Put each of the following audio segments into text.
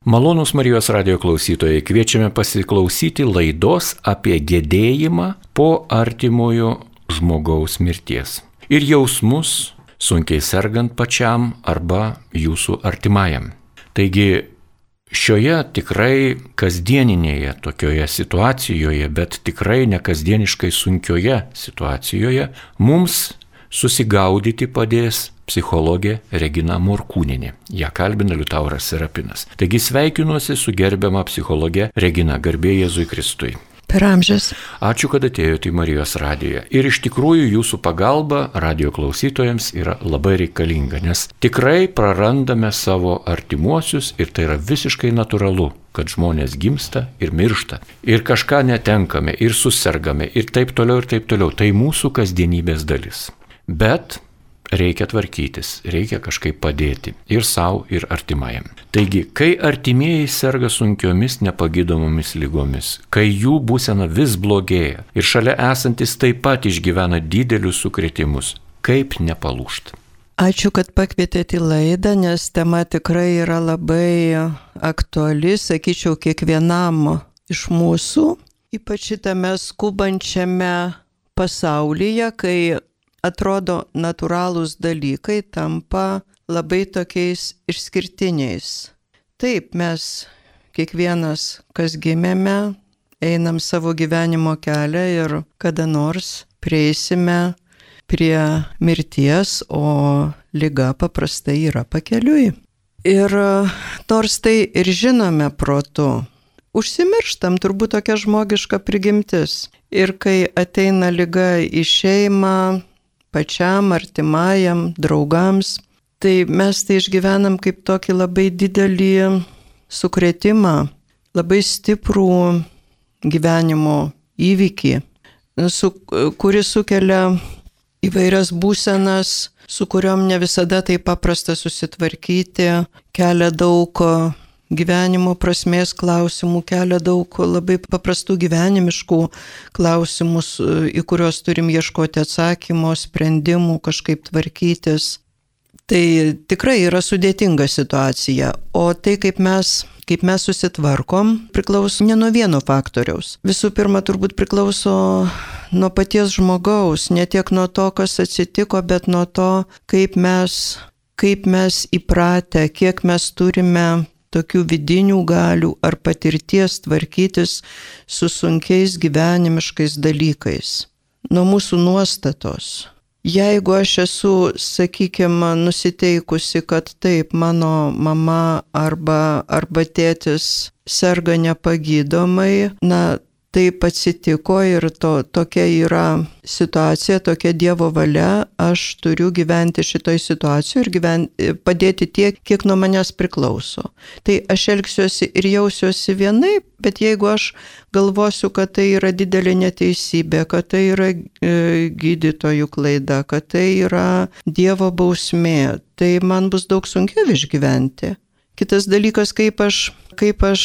Malonūs Marijos radijo klausytojai, kviečiame pasiklausyti laidos apie gedėjimą po artimojo žmogaus mirties ir jausmus sunkiai sergant pačiam arba jūsų artimajam. Taigi šioje tikrai kasdieninėje tokioje situacijoje, bet tikrai nekasdieniškai sunkioje situacijoje mums susigaudyti padės psichologė Regina Morkūnienė. Ja kalbina Liutauras Serapinas. Taigi sveikinuosi su gerbiama psichologė Regina, garbė Jėzui Kristui. Per amžius. Ačiū, kad atėjote į Marijos radiją. Ir iš tikrųjų jūsų pagalba radijo klausytojams yra labai reikalinga, nes tikrai prarandame savo artimuosius ir tai yra visiškai natūralu, kad žmonės gimsta ir miršta. Ir kažką netenkame, ir susirgame, ir taip toliau, ir taip toliau. Tai mūsų kasdienybės dalis. Bet reikia tvarkytis, reikia kažkaip padėti ir savo, ir artimajam. Taigi, kai artimieji serga sunkiomis nepagydomomis lygomis, kai jų būsena vis blogėja ir šalia esantis taip pat išgyvena didelius sukrėtimus, kaip nepalūžti? Ačiū, kad pakvietėte į laidą, nes tema tikrai yra labai aktuali, sakyčiau, kiekvienam iš mūsų, ypač šitame skubančiame pasaulyje, kai atrodo natūralūs dalykai tampa labai tokiais išskirtiniais. Taip, mes kiekvienas, kas gimėme, einam savo gyvenimo kelią ir kada nors prieisime prie mirties, o liga paprastai yra pakeliui. Ir nors tai ir žinome protu, užsimirštam, turbūt tokia žmogiška prigimtis. Ir kai ateina liga į šeimą, pačiam, artimajam, draugams, tai mes tai išgyvenam kaip tokį labai didelį sukrėtimą, labai stiprų gyvenimo įvykį, kuris sukelia įvairias būsenas, su kuriuom ne visada tai paprasta susitvarkyti, kelia daug gyvenimo prasmės klausimų, kelia daug labai paprastų gyvenimiškų klausimų, į kuriuos turim ieškoti atsakymo, sprendimų, kažkaip tvarkytis. Tai tikrai yra sudėtinga situacija, o tai kaip mes susitvarkom, priklauso ne nuo vieno faktoriaus. Visų pirma, turbūt priklauso nuo paties žmogaus, ne tiek nuo to, kas atsitiko, bet nuo to, kaip mes įpratę, kiek mes turime tokių vidinių galių ar patirties tvarkytis su sunkiais gyvenimiškais dalykais. Nuo mūsų nuostatos. Jeigu aš esu, sakykime, nusiteikusi, kad taip, mano mama arba tėtis serga nepagydomai, taip atsitiko ir tokia yra situacija, tokia Dievo valia, aš turiu gyventi šitoj situacijoje ir padėti tiek, kiek nuo manęs priklauso. Tai aš elgsiuosi ir jausiuosi vienaip, bet jeigu aš galvosiu, kad tai yra didelė neteisybė, kad tai yra gydytojų klaida, kad tai yra Dievo bausmė, tai man bus daug sunkiau išgyventi. Kitas dalykas, kaip aš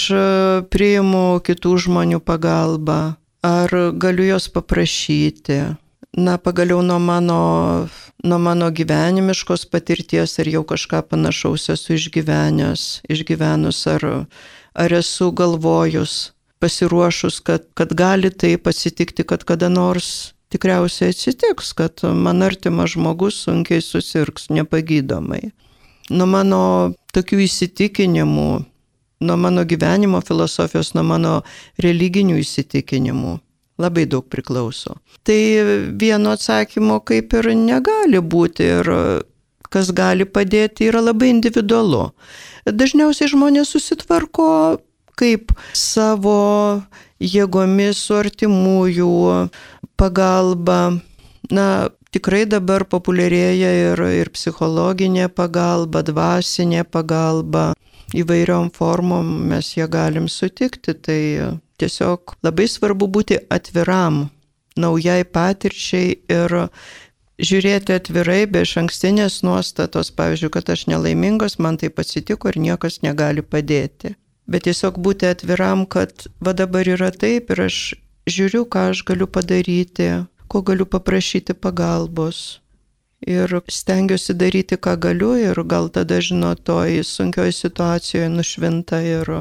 priimu kitų žmonių pagalbą, ar galiu jos paprašyti. Pagaliau nuo mano gyvenimiškos patirties, ar jau kažką panašaus esu išgyvenus, ar esu galvojus, pasiruošus, kad gali taip atsitikti, kad kada nors tikriausiai atsitiks, kad man artimas žmogus sunkiai susirgs nepagydomai. Nuo mano tokių įsitikinimų, nuo mano gyvenimo filosofijos, nuo mano religinių įsitikinimų labai daug priklauso. Tai vieno atsakymo kaip ir negali būti ir kas gali padėti yra labai individualu. Dažniausiai žmonės susitvarko kaip savo jėgomis su artimųjų pagalba. Tikrai dabar populiarėja ir psichologinė pagalba, dvasinė pagalba, įvairiom formom mes ją galim sutikti, tai tiesiog labai svarbu būti atviram naujai patirčiai ir žiūrėti atvirai, be išankstinės nuostatos, pavyzdžiui, kad aš nelaimingas, man taip atsitiko ir niekas negali padėti. Bet tiesiog būti atviram, kad va dabar yra taip ir aš žiūriu, ką aš galiu padaryti, ko galiu paprašyti pagalbos. ir stengiuosi daryti, ką galiu ir gal tada, žinot, toj sunkioje situacijoje nušvinta ir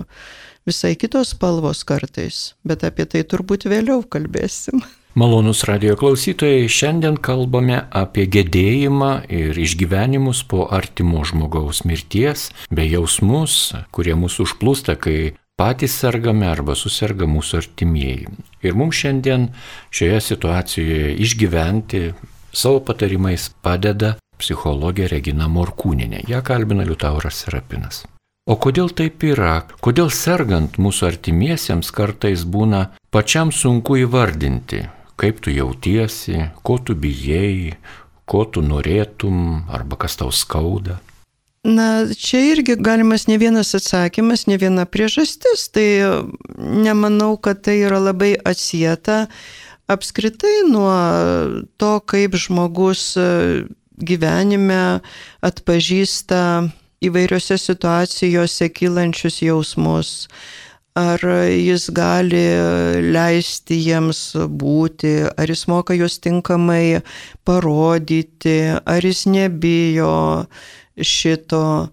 visai kitos spalvos kartais, bet apie tai turbūt vėliau kalbėsim. Malonūs radijo klausytojai, šiandien kalbame apie gedėjimą ir išgyvenimus po artimo žmogaus mirties, bei jausmus, kurie mūsų užplūsta, kai patys sergame arba suserga mūsų artimieji. Ir mums šiandien šioje situacijoje išgyventi savo patarimais padeda psichologė Regina Morkūnienė. Ja kalbina Liutauras Serapinas. O kodėl taip yra? Kodėl sergant mūsų artimiesiems kartais būna pačiam sunku įvardinti, kaip tu jautiesi, ko tu bijai, ko tu norėtum arba kas tau skauda? Na, čia irgi galimas ne vienas atsakymas, ne viena priežastis. Tai nemanau, kad tai yra labai atsieta apskritai nuo to, kaip žmogus gyvenime atpažįsta įvairiose situacijose kylančius jausmus. Ar jis gali leisti jiems būti, ar jis moka juos tinkamai parodyti, ar jis nebijo šito.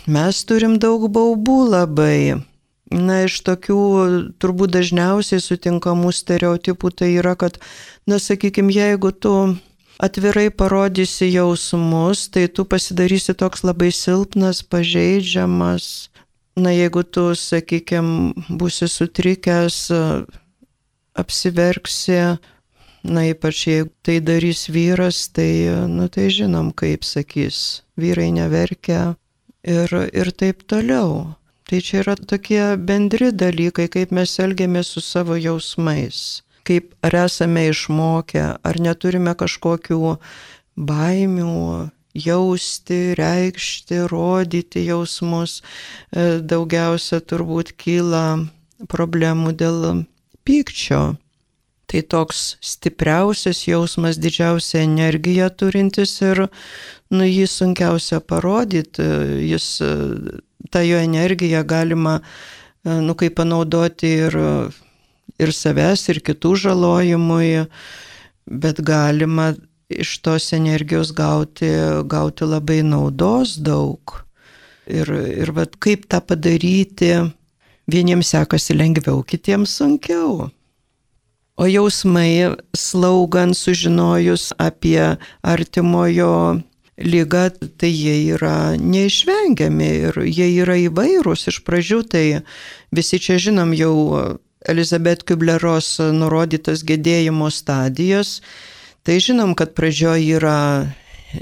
Mes turim daug baubų labai. Na, iš tokių turbūt dažniausiai sutinkamų stereotipų tai yra, kad, na, sakykime, jeigu tu atvirai parodysi jausmus, tai tu pasidarysi toks labai silpnas, pažeidžiamas. Na, jeigu tu, sakykime, būsi sutrikęs, apsiverksi, na, ypač jeigu tai darys vyras, tai, tai žinom, kaip sakys, vyrai neverkia ir taip toliau. Tai čia yra tokie bendri dalykai, kaip mes elgiamės su savo jausmais, kaip ar esame išmokę, ar neturime kažkokių baimių, jausti, reikšti, rodyti jausmus. Daugiausia turbūt kyla problemų dėl pykčio. Tai toks stipriausias jausmas, didžiausia energija turintis ir jį sunkiausia parodyti. Ta jo energija galima kaip panaudoti ir savęs, ir kitų žalojimui, bet galima iš tos energijos gauti labai naudos daug. Ir vat kaip tą padaryti, vieniems sekasi lengviau, kitiems sunkiau. O jausmai slaugant, sužinojus apie artimojo ligą, tai jie yra neišvengiami ir jie yra įvairūs. Iš pradžių tai visi čia žinom jau Elizabeth Kubler-Ross nurodytas gedėjimo stadijas. Tai žinom, kad pradžioje yra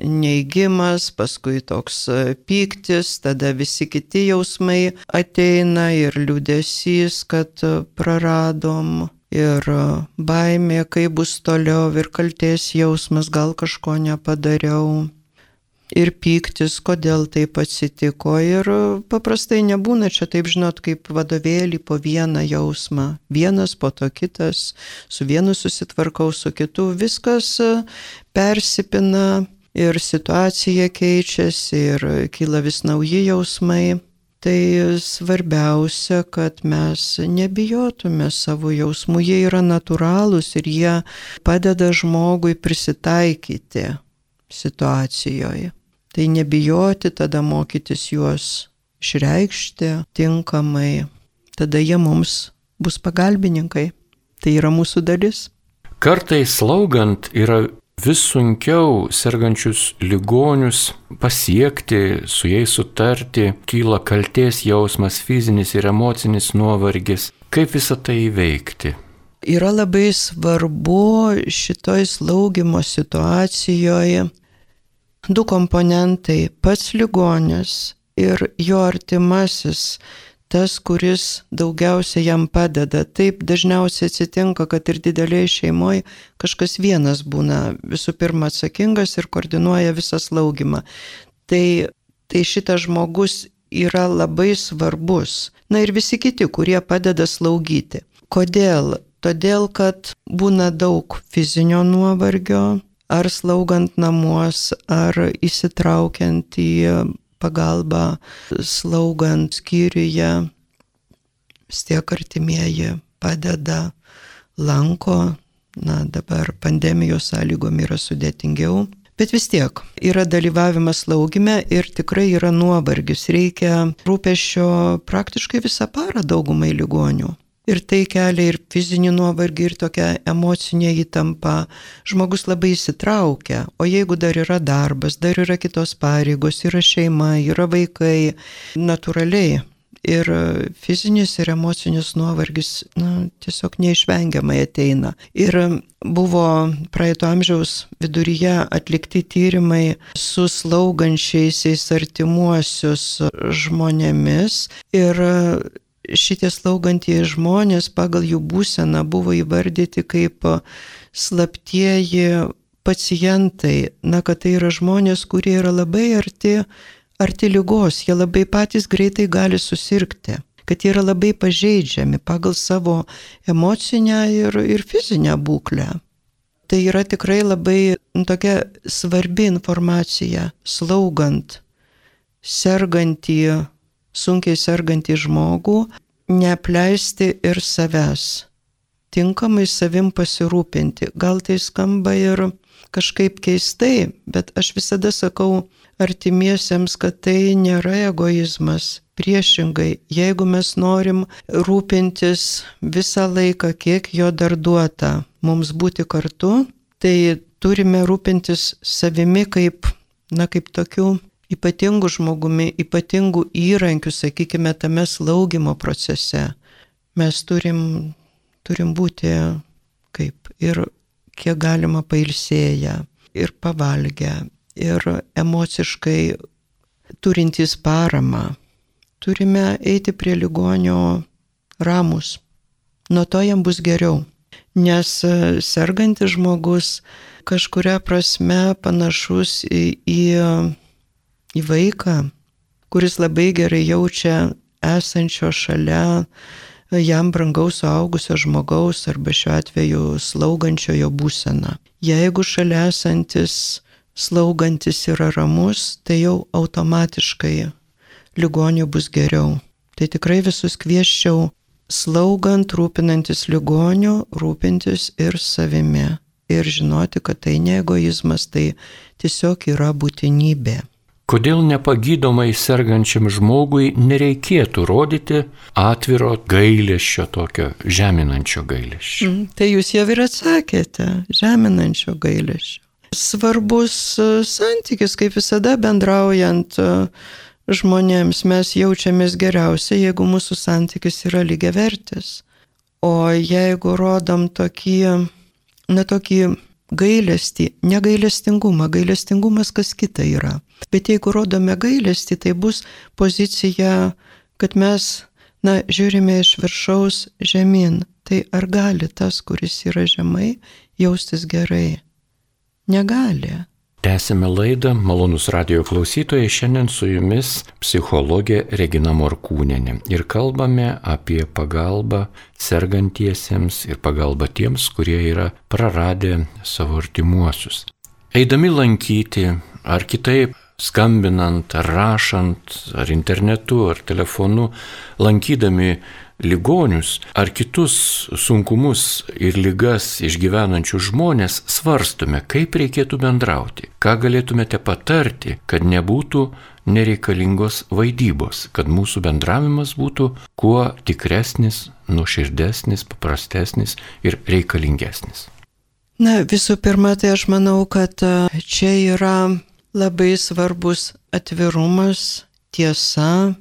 neigimas, paskui toks pyktis, tada visi kiti jausmai ateina ir liūdesys, kad praradom, ir baimė, kaip bus toliau, ir kaltės jausmas, gal kažko nepadariau, ir pyktis, kodėl taip atsitiko. Ir paprastai nebūna čia taip, žinot, kaip vadovėlį po vieną jausmą, vienas po to kitas, su vienu susitvarkau, su kitu, viskas persipina ir situacija keičiasi ir kyla vis nauji jausmai. Tai svarbiausia, kad mes nebijotume savo jausmų, jie yra natūralūs ir jie padeda žmogui prisitaikyti situacijoje. Tai nebijoti, tada mokytis juos išreikšti tinkamai, tada jie mums bus pagalbininkai. Tai yra mūsų dalis. Kartais slaugant yra vis sunkiau sergančius ligonius pasiekti, su jais sutarti, kyla kaltės jausmas, fizinis ir emocinis nuovargis. Kaip visą tai įveikti? Yra labai svarbu šitoj slaugimo situacijoje du komponentai - pats ligonis ir jo artimasis, tas, kuris daugiausiai jam padeda. Taip dažniausiai atsitinka, kad ir didelėje šeimoje kažkas vienas būna visų pirma atsakingas ir koordinuoja visą slaugimą. Tai šitas žmogus yra labai svarbus. Na ir visi kiti, kurie padeda slaugyti. Kodėl? Todėl, kad būna daug fizinio nuovargio, ar slaugant namuos, ar įsitraukiant į pagalbą slaugant skyriuje. Vis tiek artimieji padeda, lanko. Na, dabar pandemijos sąlygom yra sudėtingiau. Bet vis tiek yra dalyvavimas slaugime ir tikrai yra nuovargis. Reikia rūpesčio praktiškai visą parą daugumai ligonių. Ir tai kelia ir fizinį nuovargį, ir tokią emocinę įtampą. Žmogus labai įsitraukia, o jeigu dar yra darbas, dar yra kitos pareigos, yra šeima, yra vaikai, natūraliai. Ir fizinis ir emocinis nuovargis tiesiog neišvengiamai ateina. Ir buvo praeito amžiaus viduryje atlikti tyrimai su slaugančiaisiais artimuosius žmonėmis. Ir šitie slaugantieji žmonės pagal jų būseną buvo įvardyti kaip slaptieji pacientai. Kad tai yra žmonės, kurie yra labai arti ligos, jie labai patys greitai gali susirgti, kad jie yra labai pažeidžiami pagal savo emocinę ir fizinę būklę. Tai yra tikrai labai tokia svarbi informacija, slaugant sunkiai sergantį žmogų, neapleisti ir savęs, tinkamai savim pasirūpinti. Gal tai skamba ir kažkaip keistai, bet aš visada sakau artimiesiems, kad tai nėra egoizmas. Priešingai, jeigu mes norim rūpintis visą laiką, kiek jo dar duota mums būti kartu, tai turime rūpintis savimi kaip tokiu ypatingų žmogumi, ypatingų įrankių, sakykime, tame slaugimo procese. Mes turim būti kaip ir kiek galima pailsėję, ir pavalgę, ir emociškai turintys paramą. Turime eiti prie ligonio ramus. Nuo to jam bus geriau. Nes sergantis žmogus kažkuria prasme panašus į vaiką, kuris labai gerai jaučia esančio šalia jam brangaus suaugusio žmogaus arba šiuo atveju slaugančiojo būseną. Jeigu šalia esantis slaugantis yra ramus, tai jau automatiškai ligoniui bus geriau. Tai tikrai visus kviesčiau slaugant, rūpinantis ligoniu, rūpintis ir savimi. Ir žinoti, kad tai ne egoizmas, tai tiesiog yra būtinybė. Kodėl nepagydomai sergančiam žmogui nereikėtų rodyti atviro gailesčio, tokio žeminančio gailesčio? Tai jūs jau ir atsakėte, žeminančio gailesčio. Svarbus santykis, kaip visada bendraujant žmonėms, mes jaučiamės geriausiai, jeigu mūsų santykis yra lygiavertis. O jeigu rodom tokį gailestį, negailestingumą, gailestingumas kas kita yra. Bet jeigu rodome gailestį, tai bus pozicija, kad mes, žiūrime iš viršaus žemyn. Tai ar gali tas, kuris yra žemai, jaustis gerai? Negali. Tęsime laidą, malonūs radijo klausytojai, šiandien su jumis psichologė Regina Morkūnienė ir kalbame apie pagalbą sergantiesiems ir pagalbą tiems, kurie yra praradę savo artimuosius. Eidami lankyti, ar kitaip skambinant, ar rašant, ar internetu, ar telefonu, lankydami ligonius ar kitus sunkumus ir ligas išgyvenančių žmonės, svarstome, kaip reikėtų bendrauti, ką galėtumėte patarti, kad nebūtų nereikalingos vaidybos, kad mūsų bendravimas būtų kuo tikresnis, nuoširdesnis, paprastesnis ir reikalingesnis. Visų pirma, tai aš manau, kad čia yra labai svarbus atvirumas, tiesa,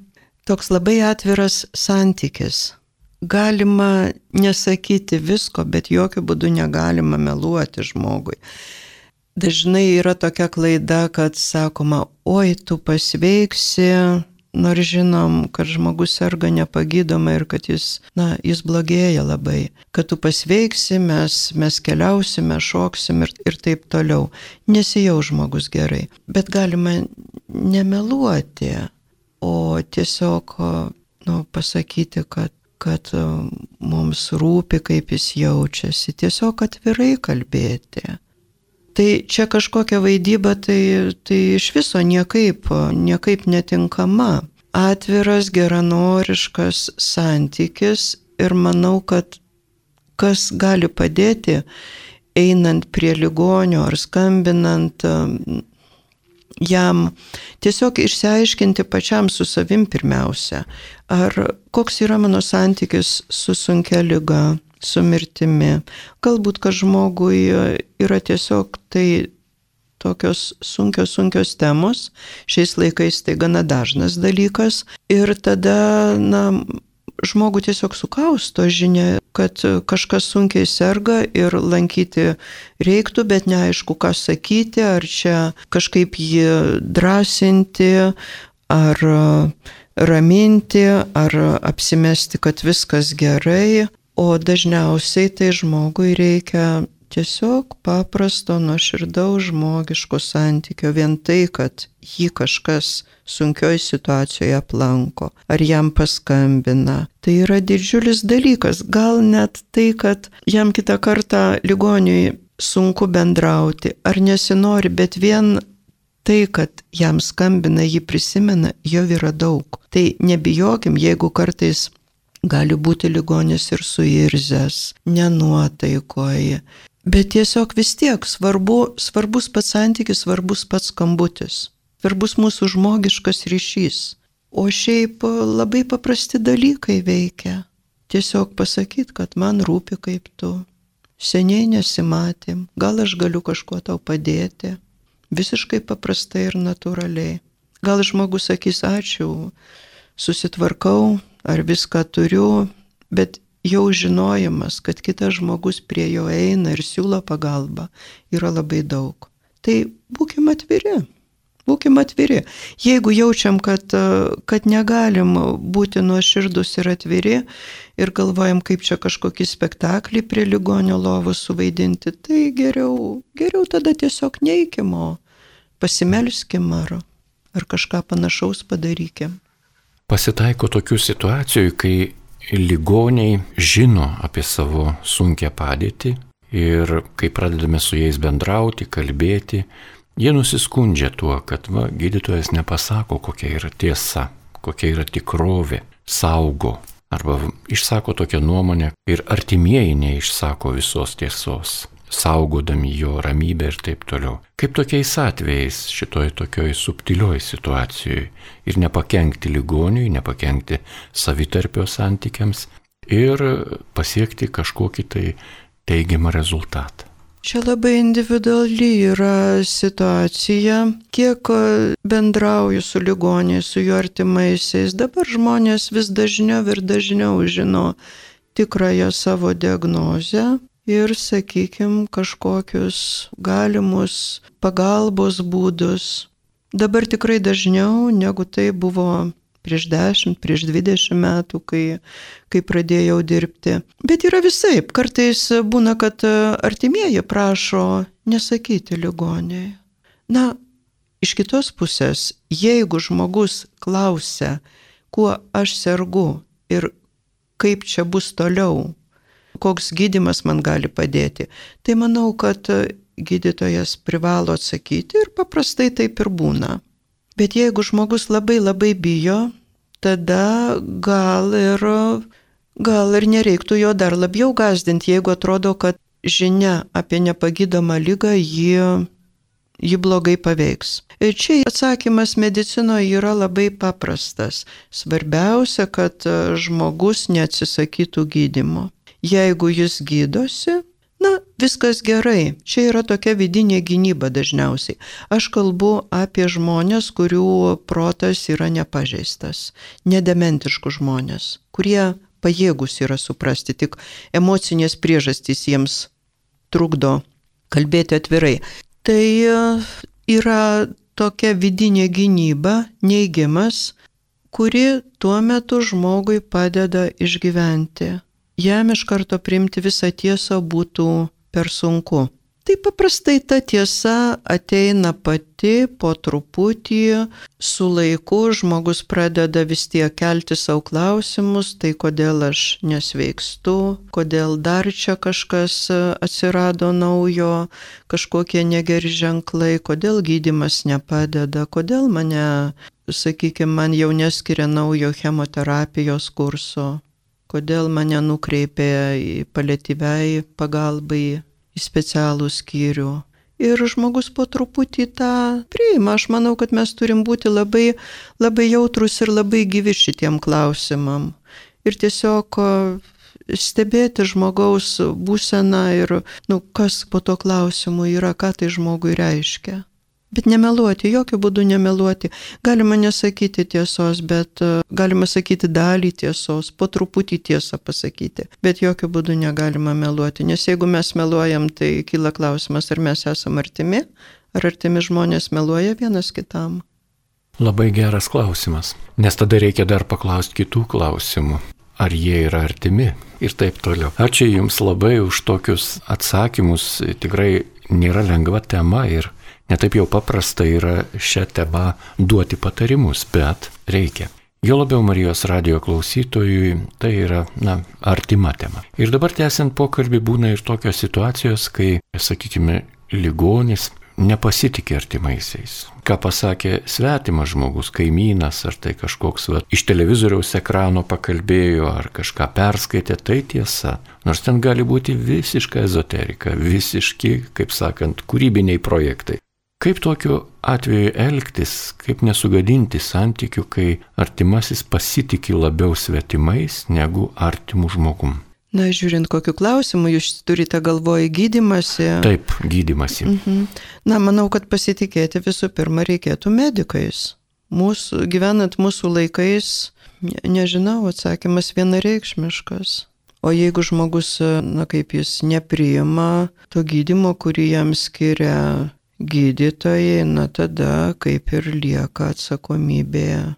toks labai atviras santykis. Galima nesakyti visko, bet jokių būdų negalima meluoti žmogui. Dažnai yra tokia klaida, kad sakoma, oi, tu pasveiksi, nors žinom, kad žmogus serga nepagydomai ir kad jis blogėja labai. Kad tu pasveiksi, mes keliausime, šoksime ir taip toliau. Nesijau žmogus gerai. Bet galima nemeluoti, o tiesiog pasakyti, kad mums rūpi, kaip jis jaučiasi, tiesiog atvirai kalbėti. Tai čia kažkokia vaidyba, tai iš viso niekaip netinkama. Atviras, geranoriškas santykis ir manau, kad kas gali padėti einant prie ligonio ar skambinant jam, tiesiog išsiaiškinti pačiam su savim pirmiausia, ar koks yra mano santykis su sunkia liga, su mirtimi. Galbūt, kad žmogui yra tiesiog tai tokios sunkios temos, šiais laikais tai gana dažnas dalykas, ir tada, žmogų tiesiog sukausto žinia, kad kažkas sunkiai serga ir lankyti reiktų, bet neaišku, ką sakyti, ar čia kažkaip jį drąsinti, ar raminti, ar apsimesti, kad viskas gerai, o dažniausiai tai žmogui reikia tiesiog paprasto, nuoširdaus žmogiško santykio, vien tai, kad jį kažkas sunkioj situacijoje aplanko, ar jam paskambina. Tai yra didžiulis dalykas, gal net tai, kad jam kitą kartą ligoniui sunku bendrauti, ar nesinori, bet vien tai, kad jam skambina, jį prisimena, jau yra daug. Tai nebijokim, jeigu kartais gali būti ligonis ir suirzęs, nenuotaikoje. Bet tiesiog vis tiek svarbus pats santykis, svarbus pats skambutis, svarbus mūsų žmogiškas ryšys. O šiaip labai paprasti dalykai veikia. Tiesiog pasakyti, kad man rūpi kaip tu. Seniai nesimatėm, gal aš galiu kažkuo tau padėti. Visiškai paprastai ir natūraliai. Gal žmogus sakys ačiū, susitvarkau ar viską turiu, bet jau žinojimas, kad kitas žmogus prie jo eina ir siūlo pagalbą, yra labai daug. Tai būkim atviri. Jeigu jaučiam, kad negalim būti nuoširdus ir atviri ir galvojam, kaip čia kažkokį spektaklį prie ligonio lovos suvaidinti, tai geriau tada tiesiog neikim, o pasimelskim ar kažką panašaus padarykim. Pasitaiko tokių situacijų, kai ligoniai žino apie savo sunkią padėtį ir kai pradedame su jais bendrauti, kalbėti, jie nusiskundžia tuo, kad gydytojas nepasako, kokia yra tiesa, kokia yra tikrovė, saugo, arba išsako tokią nuomonę ir artimieji neišsako visos tiesos, saugodami jo ramybę ir taip toliau. Kaip tokiais atvejais šitoj tokioj subtilioj situacijoje ir nepakenkti ligoniui, nepakenkti savitarpio santykiams ir pasiekti kažkokį tai teigiamą rezultatą. Čia labai individuali yra situacija, kiek bendrauju su ligoniais, su jų artimaisiais. Dabar žmonės vis dažniau ir dažniau žino tikrąją savo diagnozę ir, sakykime, kažkokius galimus pagalbos būdus. Dabar tikrai dažniau, negu tai buvo prieš 10, prieš 20 metų, kai pradėjau dirbti. Bet yra visaip. Kartais būna, kad artimieji prašo nesakyti ligoniai. Iš kitos pusės, jeigu žmogus klausia, kuo aš sergu ir kaip čia bus toliau, koks gydymas man gali padėti, tai manau, kad gydytojas privalo atsakyti ir paprastai taip ir būna. Bet jeigu žmogus labai labai bijo, tada gal ir nereiktų jo dar labiau gąsdinti, jeigu atrodo, kad žinia apie nepagydomą ligą jį blogai paveiks. Ir čia atsakymas medicinoje yra labai paprastas. Svarbiausia, kad žmogus neatsisakytų gydymo. Jeigu jis gydosi, viskas gerai. Čia yra tokia vidinė gynyba dažniausiai. Aš kalbu apie žmonės, kurių protas yra nepažeistas, nedementiškų žmonės, kurie pajėgus yra suprasti, tik emocinės priežastys jiems trukdo kalbėti atvirai. Tai yra tokia vidinė gynyba, neigimas, kuri tuo metu žmogui padeda išgyventi. Jam iš karto priimti visą tiesą būtų per sunku. Tai paprastai ta tiesa ateina pati po truputį, su laiku žmogus pradeda vis tiek kelti savo klausimus, tai kodėl aš nesveikstu, kodėl dar čia kažkas atsirado naujo, kažkokie negeri ženklai, kodėl gydymas nepadeda, kodėl man jau neskiria naujo chemoterapijos kurso. Kodėl mane nukreipė paliatyviai pagalbai į specialų skyrių. Ir žmogus po truputį tą priima. Aš manau, kad mes turim būti labai, labai jautrus ir labai gyvi šitiem klausimam. Ir tiesiog stebėti žmogaus būseną ir, kas po to klausimu yra, ką tai žmogui reiškia. Bet nemeluoti, jokių būdų nemeluoti. Galima nesakyti tiesos, bet galima sakyti dalį tiesos, po truputį tiesą pasakyti. Bet jokių būdų negalima meluoti, nes jeigu mes meluojam, tai kyla klausimas, ar mes esame artimi, ar artimi žmonės meluoja vienas kitam. Labai geras klausimas, nes tada reikia dar paklausti kitų klausimų. Ar jie yra artimi ir taip toliau. Ačiū Jums labai už tokius atsakymus. Tikrai nėra lengva tema ir netaip jau paprasta yra šią temą duoti patarimus, bet reikia. Jo labiau Marijos radijo klausytojui tai yra, artima tema. Ir dabar tęsiant pokalbį būna ir tokios situacijos, kai, sakykime, ligonis nepasitikė artimaisiais. Ką pasakė svetimas žmogus, kaimynas, ar tai kažkoks iš televizoriaus ekrano pakalbėjo, ar kažką perskaitė, tai tiesa. Nors ten gali būti visiška ezoterika, visiški, kaip sakant, kūrybiniai projektai. Kaip tokiu atveju elgtis, kaip nesugadinti santykių, kai artimasis pasitikė labiau svetimais negu artimų žmogum? Žiūrint, kokiu klausimu jūs turite galvoje gydymasi. Taip, gydymasi. Manau, kad pasitikėti visų pirma reikėtų medikais. Gyvenant mūsų laikais, nežinau, atsakymas vienareikšmiškas. O jeigu žmogus, kaip jis nepriima to gydymo, kurį jam skiria gydytojai, tada kaip ir lieka atsakomybė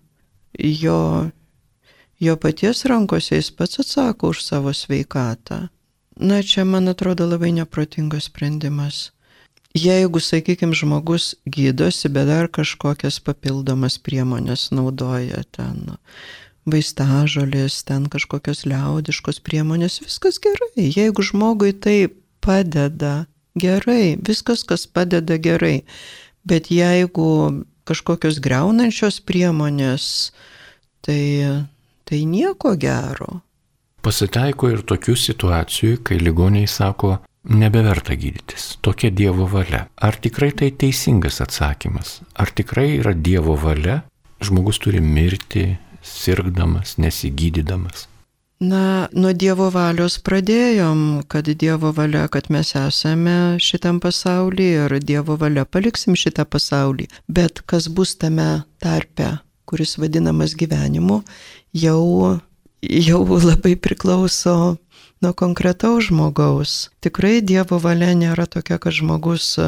jo paties rankose, jis pats atsako už savo sveikatą. Čia, man atrodo, labai neprotingas sprendimas. Jeigu, sakykime, žmogus gydosi, bet dar kažkokias papildomas priemonės naudoja ten, vaistažolės, ten kažkokios liaudiškos priemonės, viskas gerai. Jeigu žmogui tai padeda, gerai, viskas, kas padeda, gerai. Bet jeigu kažkokios griaunančios priemonės, tai nieko gero. Pasitaiko ir tokių situacijų, kai ligoniai sako, nebeverta gydytis, tokia Dievo valia. Ar tikrai tai teisingas atsakymas? Ar tikrai yra Dievo valia? Žmogus turi mirti, sirgdamas, nesigydydamas? Nuo Dievo valios pradėjom, kad Dievo valia, kad mes esame šitam pasaulyje ir Dievo valia paliksim šitą pasaulį. Bet kas bus tame tarpe, kuris vadinamas gyvenimu, jau labai priklauso nuo konkretaus žmogaus. Tikrai Dievo valia nėra tokia, kad žmogus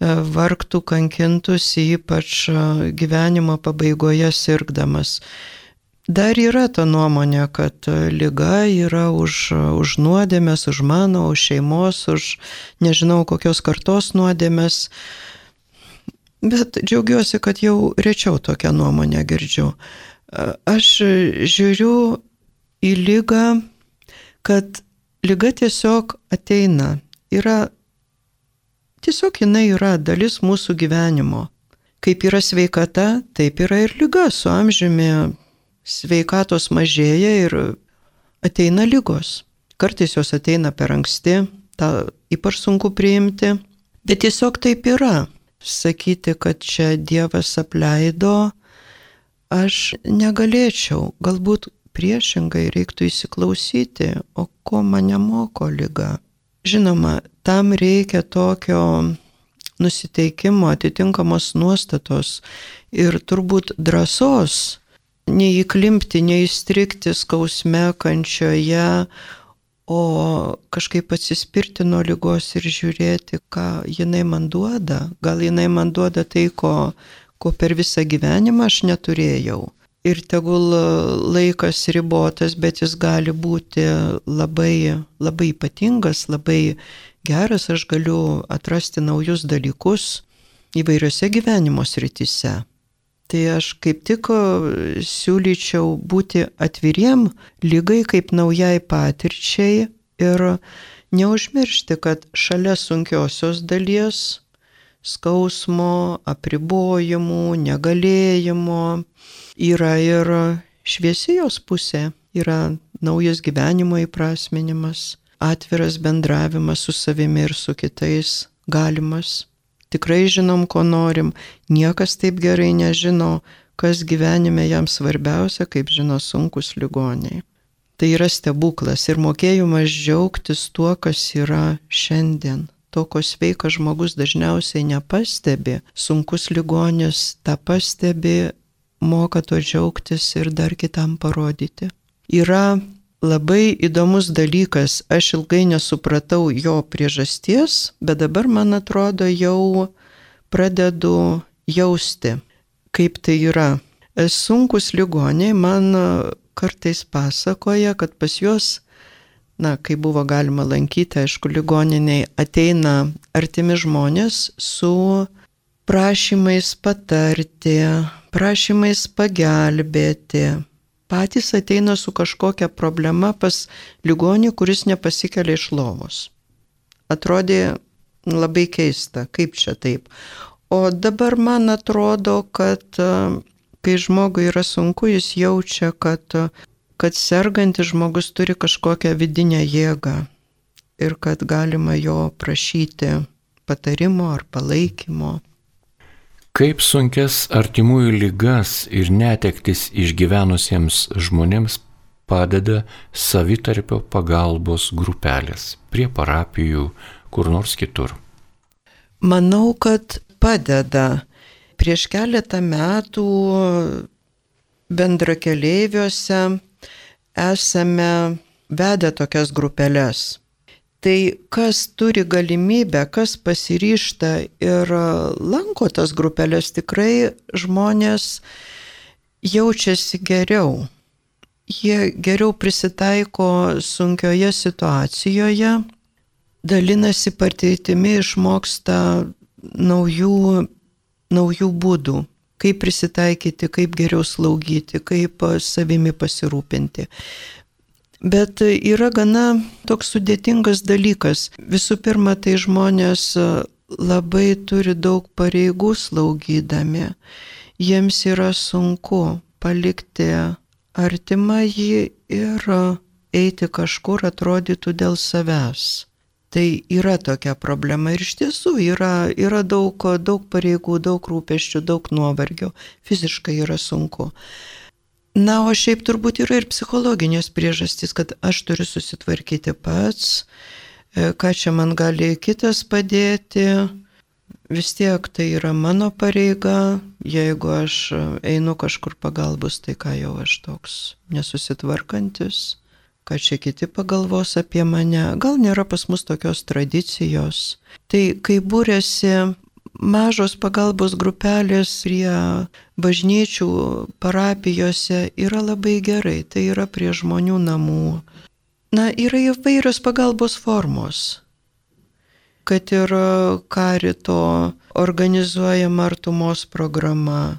vargtų, kankintųsi, ypač gyvenimo pabaigoje sirgdamas. Dar yra ta nuomonė, kad liga yra už nuodėmes, už mano, už šeimos, už nežinau kokios kartos nuodėmes. Bet džiaugiuosi, kad jau rečiau tokią nuomonę girdžiu. Aš žiūriu į ligą, kad liga tiesiog ateina. Tiesiog jinai yra dalis mūsų gyvenimo. Kaip yra sveikata, taip yra ir liga. Su amžiumi sveikatos mažėja ir ateina ligos. Kartais jos ateina per anksti, tą ypač sunku priimti. Bet tiesiog taip yra. Sakyti, kad čia Dievas apleido, aš negalėčiau. Galbūt priešingai reiktų įsiklausyti, o ko mane moko liga. Žinoma, tam reikia tokio nusiteikimo, atitinkamos nuostatos ir turbūt drąsos neįklimpti, neįstrigti skausme, kančioje, o kažkaip atsispirti nuo ligos ir žiūrėti, ką jinai man duoda. Gal jinai man duoda tai, ko per visą gyvenimą aš neturėjau. Ir tegul laikas ribotas, bet jis gali būti labai, labai ypatingas, labai geras. Aš galiu atrasti naujus dalykus įvairiose gyvenimo srityse. Tai aš kaip tik siūlyčiau būti atviriem ligai kaip naujai patirčiai ir neužmiršti, kad šalia sunkiosios dalies, skausmo, apribojimų, negalėjimo, yra ir šviesi jos pusė, yra naujas gyvenimo įprasminimas, atviras bendravimas su savimi ir su kitais galimas. Tikrai žinom, ko norim, niekas taip gerai nežino, kas gyvenime jam svarbiausia, kaip žino sunkus ligoniai. Tai yra stebuklas ir mokėjimas džiaugtis tuo, kas yra šiandien. To, ko sveikas žmogus dažniausiai nepastebi, sunkus ligonis tą pastebi, moka to džiaugtis ir dar kitam parodyti. Yra labai įdomus dalykas, aš ilgai nesupratau jo priežasties, bet dabar, man atrodo, jau pradedu jausti, kaip tai yra. Sunkus ligoniai man kartais pasakoja, kad pas juos, kai buvo galima lankyti, aišku, ligoniniai, ateina artimi žmonės su prašymais patarti, prašymais pagelbėti. Patys ateina su kažkokia problema pas ligonį, kuris nepasikelia iš lovos. Atrodė labai keista, kaip čia taip. O dabar man atrodo, kad kai žmogui yra sunku, jis jaučia, kad sergantis žmogus turi kažkokią vidinę jėgą ir kad galima jo prašyti patarimo ar palaikymo. Kaip sunkias artimųjų ligas ir netektis išgyvenusiems žmonėms padeda savitarpio pagalbos grupelės prie parapijų, kur nors kitur? Manau, kad padeda. Prieš keletą metų bendrakeleiviuose esame vedę tokias grupelės. Tai kas turi galimybę, kas pasiryžta ir lanko tas grupelės, tikrai žmonės jaučiasi geriau. Jie geriau prisitaiko sunkioje situacijoje, dalinasi patirtimi, išmoksta naujų būdų, kaip prisitaikyti, kaip geriau slaugyti, kaip savimi pasirūpinti. Bet yra gana toks sudėtingas dalykas. Visų pirma, tai žmonės labai turi daug pareigų slaugydami. Jiems yra sunku palikti artimąjį ir eiti kažkur, atrodytų dėl savęs. Tai yra tokia problema ir iš tiesų yra daug pareigų, daug rūpesčių, daug nuovargio. Fiziškai yra sunku. Na, o šiaip turbūt yra ir psichologinės priežastys, kad aš turiu susitvarkyti pats, ką čia man gali kitas padėti. Vis tiek tai yra mano pareiga, jeigu aš einu kažkur pagalbos, tai ką jau aš toks nesusitvarkantis, ką čia kiti pagalvos apie mane. Gal nėra pas mus tokios tradicijos. Tai kai būrėsi mažos pagalbos grupelės prie bažnyčių, parapijose, yra labai gerai, tai yra prie žmonių namų. Na, yra įvairios pagalbos formos, kad ir Karito organizuojama artumos programa.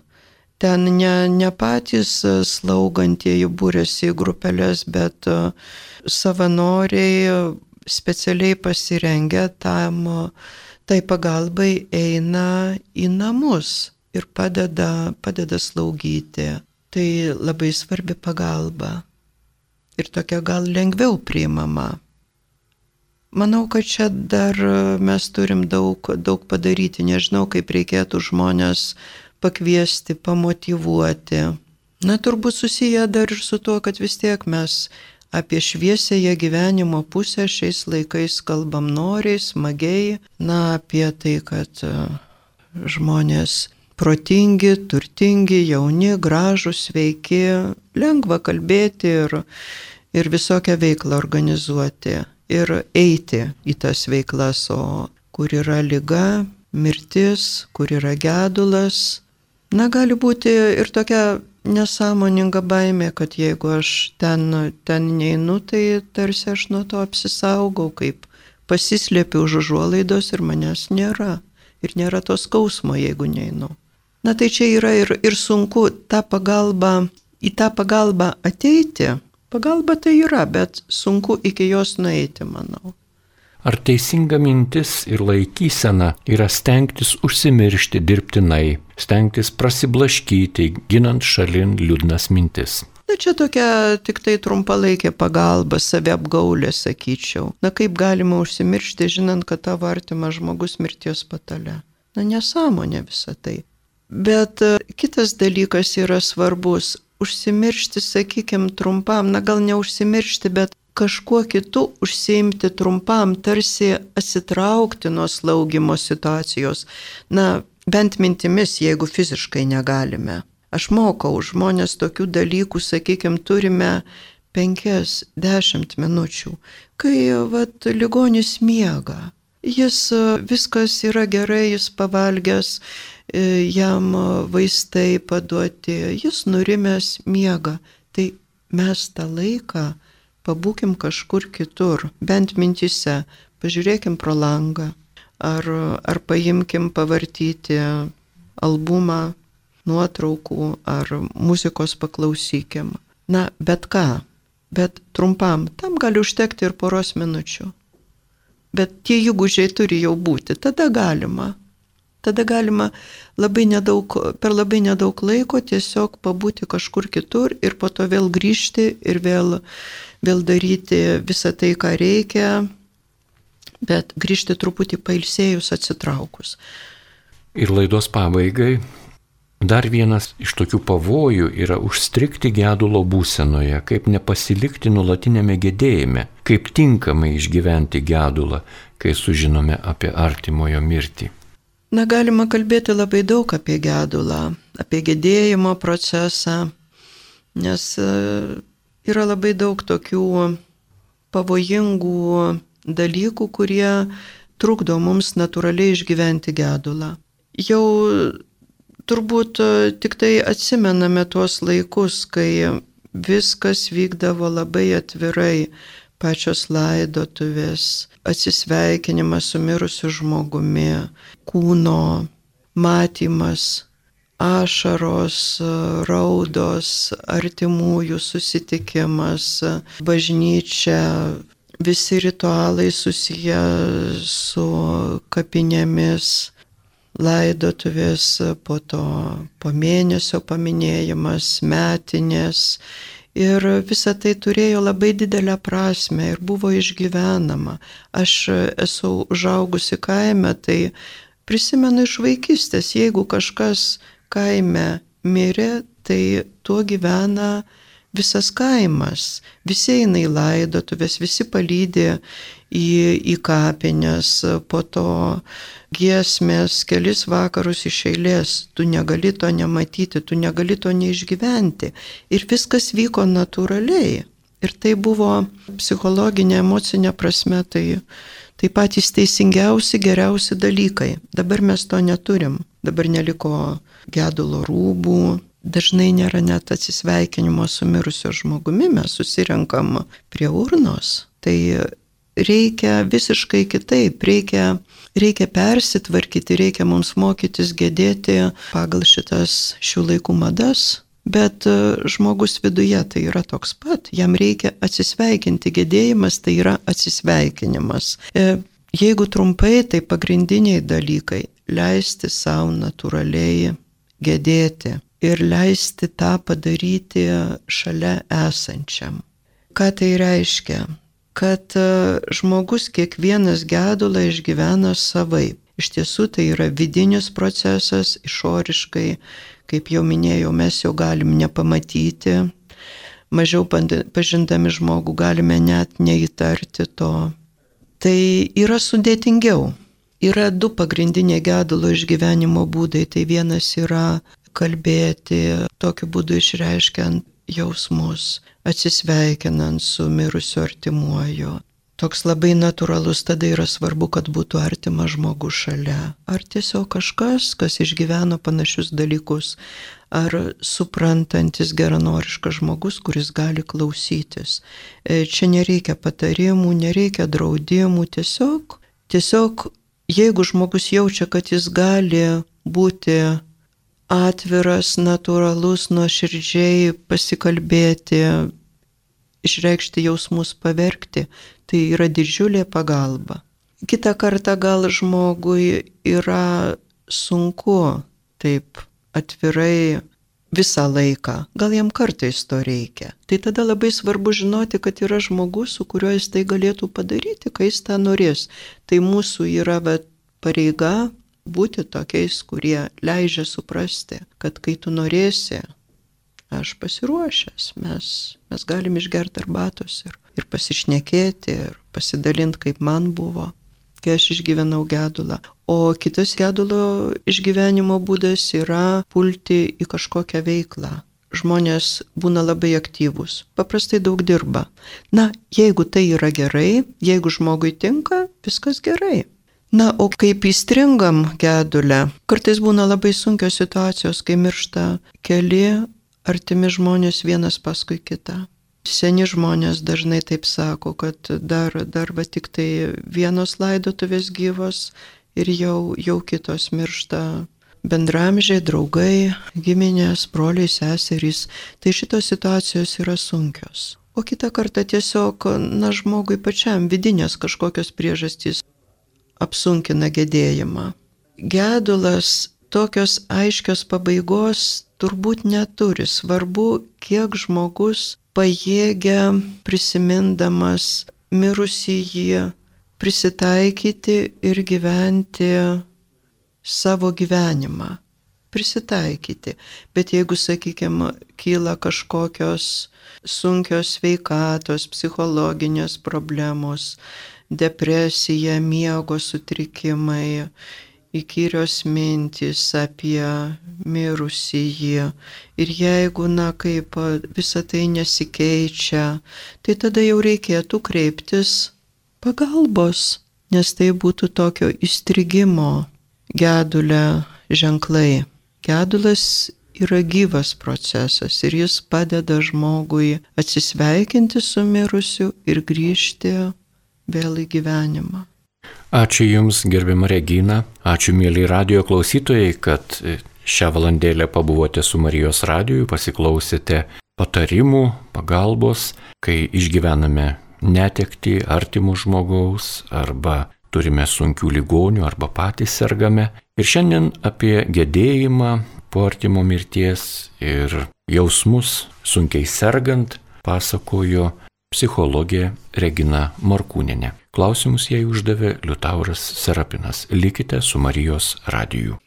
Ten ne patys slaugantieji būrėsi į grupelės, bet savanoriai specialiai pasirengę tai pagalbai eina į namus ir padeda slaugyti. Tai labai svarbi pagalba ir tokia gal lengviau priimama. Manau, kad čia dar mes turim daug padaryti. Nežinau, kaip reikėtų žmonės pakviesti, pamotyvuoti. Na, turbūt susiję dar ir su tuo, kad vis tiek mes apie šviesiąją gyvenimo pusę šiais laikais kalbam noriai, smagiai. Na, apie tai, kad žmonės protingi, turtingi, jauni, gražūs, sveiki, lengva kalbėti ir visokią veiklą organizuoti ir eiti į tas veiklas, o kur yra liga, mirtis, kur yra gedulas. Na, gali būti ir tokia nesąmoninga baimė, kad jeigu aš ten neinu, tai tarsi aš nuo to apsisaugau, kaip pasislėpiu už užuolaidos ir manęs nėra. Ir nėra to skausmo, jeigu neinu. Na, tai čia yra ir sunku į tą pagalbą ateiti. Pagalba tai yra, bet sunku iki jos nueiti, manau. Ar teisinga mintis ir laikysena yra stengtis užsimiršti dirbtinai, stengtis prasiblaškyti, ginant šalin liūdnas mintis? Na čia tokia tik tai trumpalaikė pagalba, saviapgaulė, sakyčiau. Na kaip galima užsimiršti, žinant, kad tavo artimas žmogus mirties patale. Na nesąmonė visą tai. Bet kitas dalykas yra svarbus. Užsimiršti, sakykime, trumpam, na gal neužsimiršti, bet kažkuo kitu užsiimti trumpam, tarsi atsitraukti nuo slaugimo situacijos. Na, bent mintimis, jeigu fiziškai negalime. Aš mokau žmonės tokių dalykų, sakykime, turime 5-10 minučių, kai ligonis miega. Jis viskas yra gerai, jis pavalgęs, jam vaistai paduoti, jis nurimęs miega. Tai mes tą laiką pabūkim kažkur kitur, bent mintise, pažiūrėkim pro langą, ar paimkim pavartyti albumą, nuotraukų ar muzikos paklausykim. Na, bet ką, bet trumpam, tam gali užtekti ir poros minučių. Bet tie įgūdžiai turi jau būti, tada galima. Tada galima per labai nedaug laiko tiesiog pabūti kažkur kitur ir po to vėl grįžti ir vėl daryti visą tai, ką reikia, bet grįžti truputį pailsėjus, atsitraukus. Ir laidos pabaigai. Dar vienas iš tokių pavojų yra užstrigti gedulo būsenoje, kaip nepasilikti nuolatinėme gedėjime, kaip tinkamai išgyventi gedulą, kai sužinome apie artimojo mirtį. Na, galima kalbėti labai daug apie gedulą, apie gedėjimo procesą, nes yra labai daug tokių pavojingų dalykų, kurie trukdo mums natūraliai išgyventi gedulą. Jau turbūt tik tai atsimename tuos laikus, kai viskas vykdavo labai atvirai, pačios laidotuvės, atsisveikinimas su mirusiu žmogumi, kūno matymas, ašaros, raudos, artimųjų susitikimas, bažnyčia, visi ritualai susiję su kapinėmis, laidotuvės, po mėnesio paminėjimas, metinės. Ir visa tai turėjo labai didelę prasme ir buvo išgyvenama. Aš esu užaugusi kaime, tai prisimenu iš vaikystės, jeigu kažkas kaime mirė, tai tuo gyvena visas kaimas. Visi eina į laidotuvės, visi palydi į kapines, po to giesmės, kelis vakarus iš eilės, tu negali to nematyti, tu negali to neišgyventi. Ir viskas vyko natūraliai. Ir tai buvo psichologinė, emocinė prasme, tai patys teisingiausi, geriausi dalykai. Dabar mes to neturim. Dabar neliko gedulo rūbų, dažnai nėra net atsisveikinimo su mirusio žmogumi, mes susirenkam prie urnos. Tai reikia visiškai kitaip, reikia persitvarkyti, reikia mums mokytis gedėti pagal šių laikų madas, bet žmogus viduje tai yra toks pat, jam reikia atsisveikinti, gedėjimas tai yra atsisveikinimas. Jeigu trumpai, tai pagrindiniai dalykai - leisti savo natūraliai gedėti ir leisti tą padaryti šalia esančiam. Ką tai reiškia? Kad žmogus kiekvienas gedulą išgyvena savaip. Iš tiesų tai yra vidinis procesas, išoriškai, kaip jau minėjau, mes jau galim nepamatyti, mažiau pažindami žmogų galime net neįtarti to. Tai yra sudėtingiau. Yra du pagrindiniai gedulo išgyvenimo būdai. Tai vienas yra kalbėti, tokiu būdu išreiškiant jausmus, atsisveikinant su mirusiu artimuoju. Toks labai natūralus, tada yra svarbu, kad būtų artimas žmogus šalia. Ar tiesiog kažkas, kas išgyveno panašius dalykus, ar suprantantis geranoriškas žmogus, kuris gali klausytis. Čia nereikia patarimų, nereikia draudimų, tiesiog jeigu žmogus jaučia, kad jis gali būti atviras, natūralus, nuoširdžiai pasikalbėti, išreikšti jausmus, paverkti, tai yra didžiulė pagalba. Kitą kartą gal žmogui yra sunku taip atvirai visą laiką, gal jam kartais to reikia. Tai tada labai svarbu žinoti, kad yra žmogus, su kuriuo jis tai galėtų padaryti, kai jis tą norės. Tai mūsų yra pareiga būti tokiais, kurie leidžia suprasti, kad kai tu norėsi, aš pasiruošęs, mes galim išgerti arbatos ir pasišnekėti, ir pasidalinti, kaip man buvo, kai aš išgyvenau gedulą. O kitas gedulo išgyvenimo būdas yra pulti į kažkokią veiklą. Žmonės būna labai aktyvūs, paprastai daug dirba. Na, jeigu tai yra gerai, jeigu žmogui tinka, viskas gerai. Na, o kaip įstringam gedulę, kartais būna labai sunkios situacijos, kai miršta keli artimi žmonės vienas paskui kitą. Seni žmonės dažnai taip sako, kad dar tik tai vienos laidotuvės gyvos ir jau kitos miršta. Bendramžiai, draugai, giminės, broliai, seserys. Tai šitos situacijos yra sunkios. O kitą kartą tiesiog, žmogui pačiam vidinės kažkokios priežastys apsunkina gedėjimą. Gedulas tokios aiškios pabaigos turbūt neturi. Svarbu, kiek žmogus pajėgia prisimindamas mirusįjį prisitaikyti ir gyventi savo gyvenimą. Prisitaikyti. Bet jeigu, sakykime, kyla kažkokios sunkios sveikatos, psichologinės problemos, depresija, miego sutrikimai, įkyrios mintys apie mirusįjį. Ir jeigu, kaip visa tai nesikeičia, tai tada jau reikėtų kreiptis pagalbos, nes tai būtų tokio įstrigimo gedulę ženklai. Gedulas yra gyvas procesas ir jis padeda žmogui atsisveikinti su mirusiu ir grįžti vėl į gyvenimą. Ačiū Jums, gerbiama Regina, ačiū mėly radijo klausytojai, kad šią valandėlę pabuvote su Marijos radiju, pasiklausėte patarimų, pagalbos, kai išgyvename netektį artimų žmogaus arba turime sunkių ligonių arba patys sergame. Ir šiandien apie gedėjimą po artimo mirties ir jausmus sunkiai sergant pasakojo psichologė Regina Morkūnienė. Klausimus jai uždavė Liutauras Serapinas. Likite su Marijos radiju.